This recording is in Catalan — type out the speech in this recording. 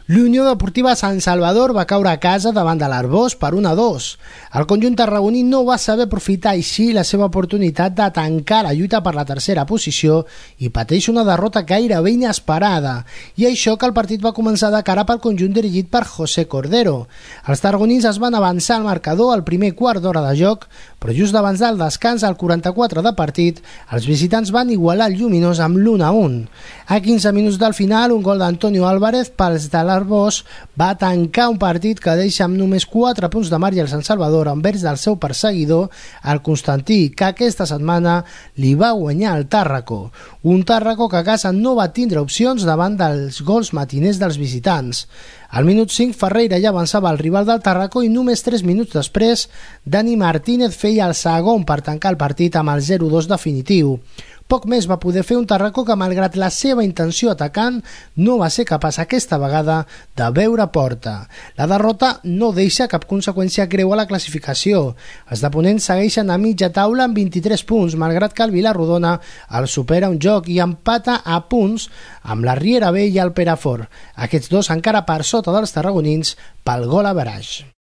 L'Unió Deportiva Sant Salvador va caure a casa davant de l'Arbós per 1-2. El conjunt tarragoní no va saber aprofitar així la seva oportunitat de tancar la lluita per la tercera posició i pateix una derrota gairebé inesperada. I això que el partit va començar de cara pel conjunt dirigit per José Cordero. Els tarragonins es van avançar al marcador al primer quart d'hora de joc, però just abans del descans, al 44 de partit, els visitants van igualar el Lluminós amb l'1-1. A 15 minuts del final, un gol d'Antonio Álvarez pels de l'Arbós va tancar un partit que deixa amb només 4 punts de marge al Sant Salvador envers del seu perseguidor, el Constantí, que aquesta setmana li va guanyar el Tàrraco. Un Tàrraco que a casa no va tindre opcions davant dels gols matiners dels visitants. Al minut 5, Ferreira ja avançava el rival del Tàrraco i només 3 minuts després, Dani Martínez feia el segon per tancar el partit amb el 0-2 definitiu. Poc més va poder fer un Tàrraco que, malgrat la seva intenció atacant, no va ser capaç aquesta vegada de veure porta. La derrota no deixa cap conseqüència greu a la classificació. Els de Ponent segueixen a mitja taula amb 23 punts, malgrat que el Vila-rodona el supera un joc i empata a punts amb la Riera B i el Perafort. Aquests dos encara per sota dels tarragonins pel gol average.